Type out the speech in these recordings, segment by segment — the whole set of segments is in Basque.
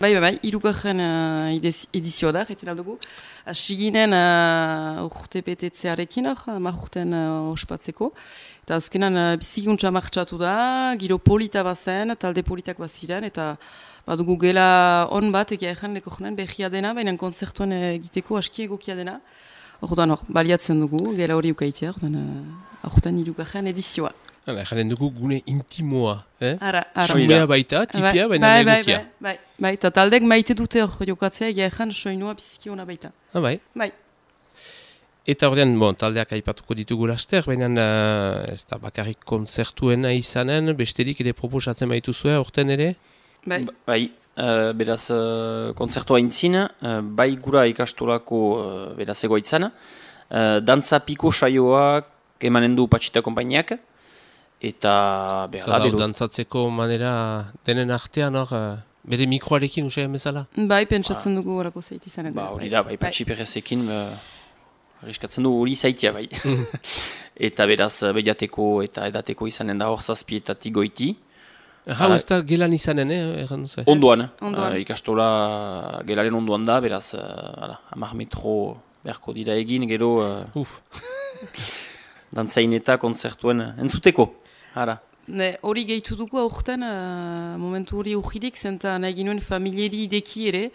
hirugarren edizioa da, jaiten aldugu. Hasi ginen urte betetzearekin hor, 10 urten ospatzeko. Eta azkenan bizikuntza martxatu da, giro polita bazen, talde politak baziren, eta badugu gela on bat egia ezan leko jonen behia dena, baina konzertuan egiteko aski egokia dena. Orduan baliatzen dugu, gela hori ukaitzea, aurten hirugarren edizioa. Jaren dugu gune intimoa, Ara. Sumea baita, tipia, baina egokia. Bai, eta taldek maite dute hor jokatzea, egia ezan soinua biziki ona baita. Bai. Bai. Eta ordean, taldeak aipatuko ditugu laster, baina ez da bakarrik konzertuena izanen, besterik ere proposatzen baituzue aurten ere? Bai, beraz konzertua intzin, bai gura ikastolako beraz egoitzan, dantza piko saioak emanen du Patxita konpainiak, eta dantzatzeko manera denen artean hor, bere mikroarekin usaien bezala? Bai, pentsatzen dugu horako zaiti izanen. Hori da, bai Patxi Perrezekin, arriskatzen du hori zaitia bai. Eta beraz behiateko eta edateko izanen da hor zazpietatik goiti. Hau ez da gelan izanen, erran duzu? Onduan. Ikastola gelaren onduan da, beraz 10 metro beharko dira egin, gero dantzain eta konzertuen entzuteko. Hori gehitu dugu aurten, momentu hori ujirik, zenta nahi ginuen familieri ideki ere,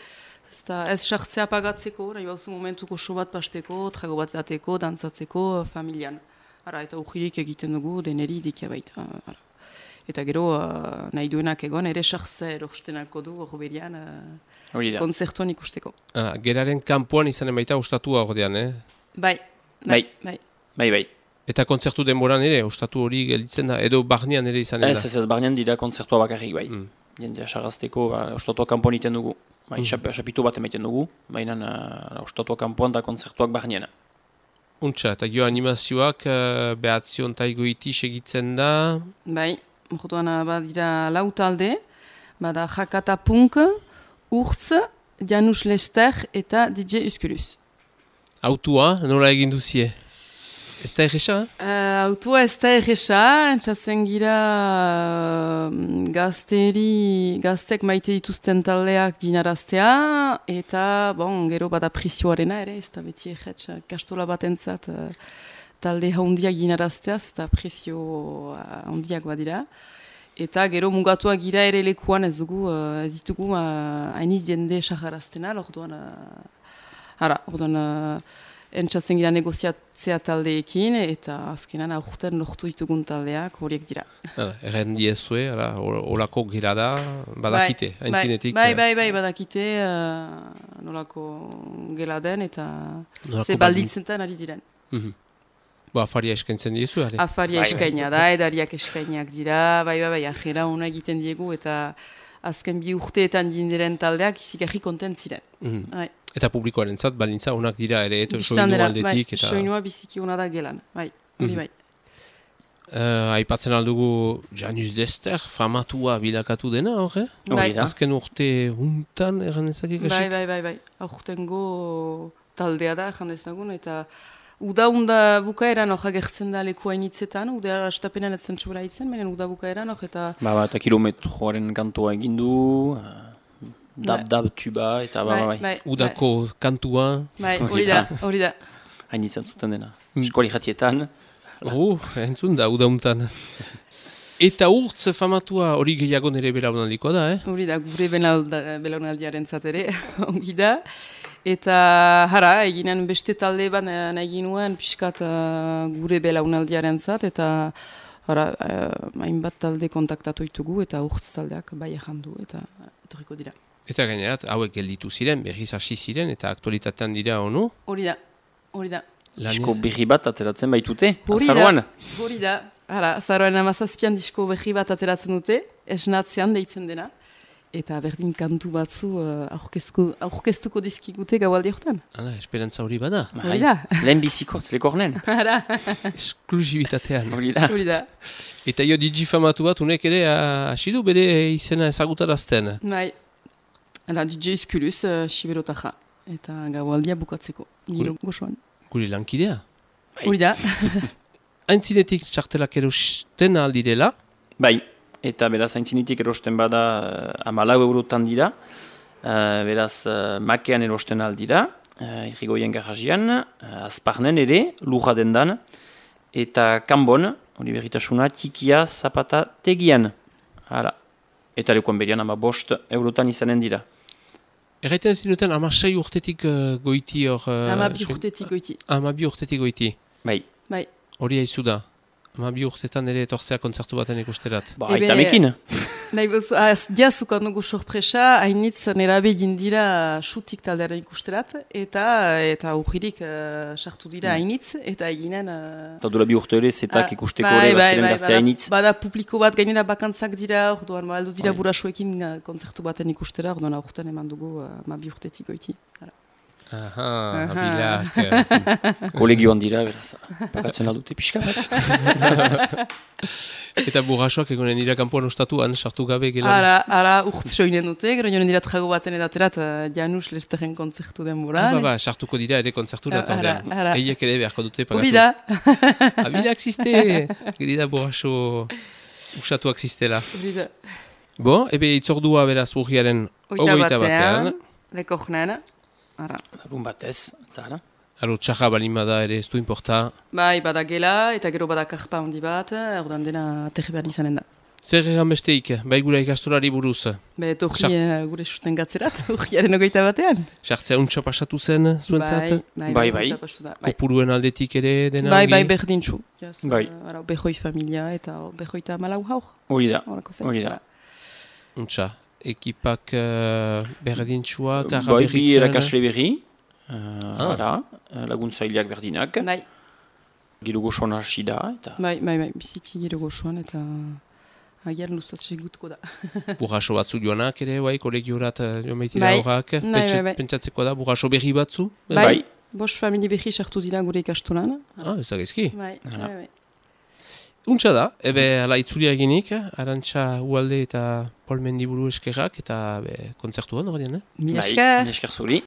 ez sartzea pagatzeko, nahi bauzu momentuko so bat pasteko, trago bat dateko, dantzatzeko familian. Eta ujirik egiten dugu deneri idekia baita. Eta gero nahi duenak egon, ere sartzea erosten alko du horberian konzertuan ikusteko. Geraren kanpoan izanen baita ostatua ordean, Bai. Eta kontzertu denboran ere, ostatu hori gelditzen da, edo barnean ere izanen da? Ez, barnean dira kontzertua bakarrik bai. Jendea sarrazteko, ostatua kanpoan iten dugu. Chapitu bat emaiten dugu, baina ostatua kanpoan da kontzertuak barnean. Untxa, eta gio animazioak behatzion taigoiti segitzen da? Bai, orduan badira lau talde, bada Jakata Punk, Urtz, Janus Lester eta DJ Uskulus. Autua, nola egin duzie? Ez da egesa? Autua ez da egesa, entzatzen gira gaztek maite dituzten taldeak dinaraztea, eta gero bada prisioarena ere, ez da beti egetz kastola batentzat talde haundiak dinarazteaz, eta prisio haundiak badira. Eta gero mugatuak gira ere lekuan ez ditugu hainiz jende saharaztena, orduan entzatzen gira negoziatzea taldeekin, eta azkenan aurten lortu ditugun taldeak horiek dira. Erren diezue, olako gira da, badakite, haintzinetik? Bai, badakite nolako gela den, eta ze baldintzentan ari diren. Afaria eskaintzen diezu, ari? Afaria eskaina da, edariak eskainiak dira, bai, ajera hona egiten diegu, eta azken 2 urteetan diren taldeak izikarri kontent ziren. Eta publikoaren zat, balintza honak dira ere, eta soinua aldetik. Soinua biziki hona da gelan, hori bai. Aipatzen aldugu Janus Lester, famatua bilakatu dena, hori? Azken urte huntan, erran ezakik esik? Bai. Aurtengo taldea da, erran ezagun, eta uda bukaeran hori agertzen da leku hainitzetan, uda astapenan etzen txobra hitzen, baina uda bukaeran hori eta... Eta kilometroaren kantua egindu... Dab, tuba, eta bai. Udako kantua. Bai, hori da. Hain izan zuten dena. Eskoli jatietan. Entzun da, udauntan. Eta urtz famatua hori gehiago nire belaunaldikoa da, Hori da, gure belaunaldiaren zatere, ongi da. Eta eginen beste talde bat nahi ginuen, pixkat gure belaunaldiaren zat, eta hainbat talde kontaktatu ditugu, eta urtz taldeak bai errandu, eta etorriko dira. Eta gainerat, hauek gelditu ziren, berriz hasi ziren, eta aktualitatean dira, ono? Hori da. Disko berri bat ateratzen baitute, azaroan? Hori da. Azaroan amazazpian disko berri bat ateratzen dute, esnatzean deitzen dena, eta berdin kantu batzu aurkeztuko dizkigute gaualdi horretan. Esperantza hori bada. Hori da. Lehen bizikotz, lekornen. Esklusibitatean. Hori da. Eta digifamatu bat, unek ere hasidu bere izena ezagutarazten. Bai. DJ Uskulus, Siberotaja. Eta gaualdia bukatzeko. Giro gozoan. Gure lankidea. Hori da. Aintzinetik txartelak erosten aldirela? Bai. Eta beraz aintzinetik erosten bada 14 eurotan dira. Beraz, makean erosten aldira, irrigoien garazian, azparnen ere, lurra dendan, eta kanbon, hori berritasuna, tikia zapata tegian. Hala. Eta lekuan berian 5 eurotan izanen dira. Erraiten zinuten 16 urtetik goiti hor... 12 urtetik goiti. 12 urtetik goiti. Bai. Bai. Hori haizu da. 12 urtetan ere etortzea kontzertu baten ikusterat. Ba, aita mekin. Nahi bozu, diazukan dugu sorpresa, hainitz nerabe dira xutik taldearen ikusterat, eta urririk sartu dira hainitz, eta eginen... Eta dula 2 urte ere, zetak ikusteko ere, baziren gazte hainitz. Bada publiko bat gainera bakantzak dira, orduan aldo dira burasoekin kontzertu baten ikustera, orduan aurten eman dugu 12 urtetik goiti. Aha, abilak. Kolegioan dira, beraz, bakatzen aldute pixka bat. Eta burrasoak egonen dira kanpoan ostatuan, sartu gabe gelan. Ara urtz soinen dute, gero jonen dira trago baten edaterat Janus Lesteren kontzertu denbora. Sartuko dira ere kontzertu da tordean. Eiek ere beharko dute pagatu. Hori da. Abilak ziste, geri da burraso usatuak zistela. Hori da. Bo, ebe itzordua beraz urriaren 21 batean. Lekornen. Larun batez, eta ara. Aro txarra balin bada ere ez du inporta. Bai, bada gela, eta gero bada karpa handi bat, ordan dena aterri behar izanen da. Zer egan besteik, bai gura ikastorari buruz? Be, torri gure susten gatzerat, urriaren 21 batean. Sartzea untsa pasatu zen zuentzat? Bai. Kopuruen aldetik ere dena? Bai, berdintxu. Bai. Behoi familia eta behoita malau haur. Hori da. Untsa. Ekipak berdintxuak, Bai, bi erakasle berri, laguntzaileak berdinak. Bai. Gero gozoan hasi da. Bai, biziki gero gozoan eta agian luzatzen gutko da. Burraso batzu joanak ere, kolegiorat joan baitira horrak. Pentsatzeko da, burraso berri batzu? Bai, 5 familie berri sartu dira gure ikastolan. Ez da gezki. Bai. Untsa da, ebe ala itzulia eginik, Arantxa Ualde eta Paul Mendiburu eskerrak, eta kontzertuan horrean, Mila esker. Mila esker zuri.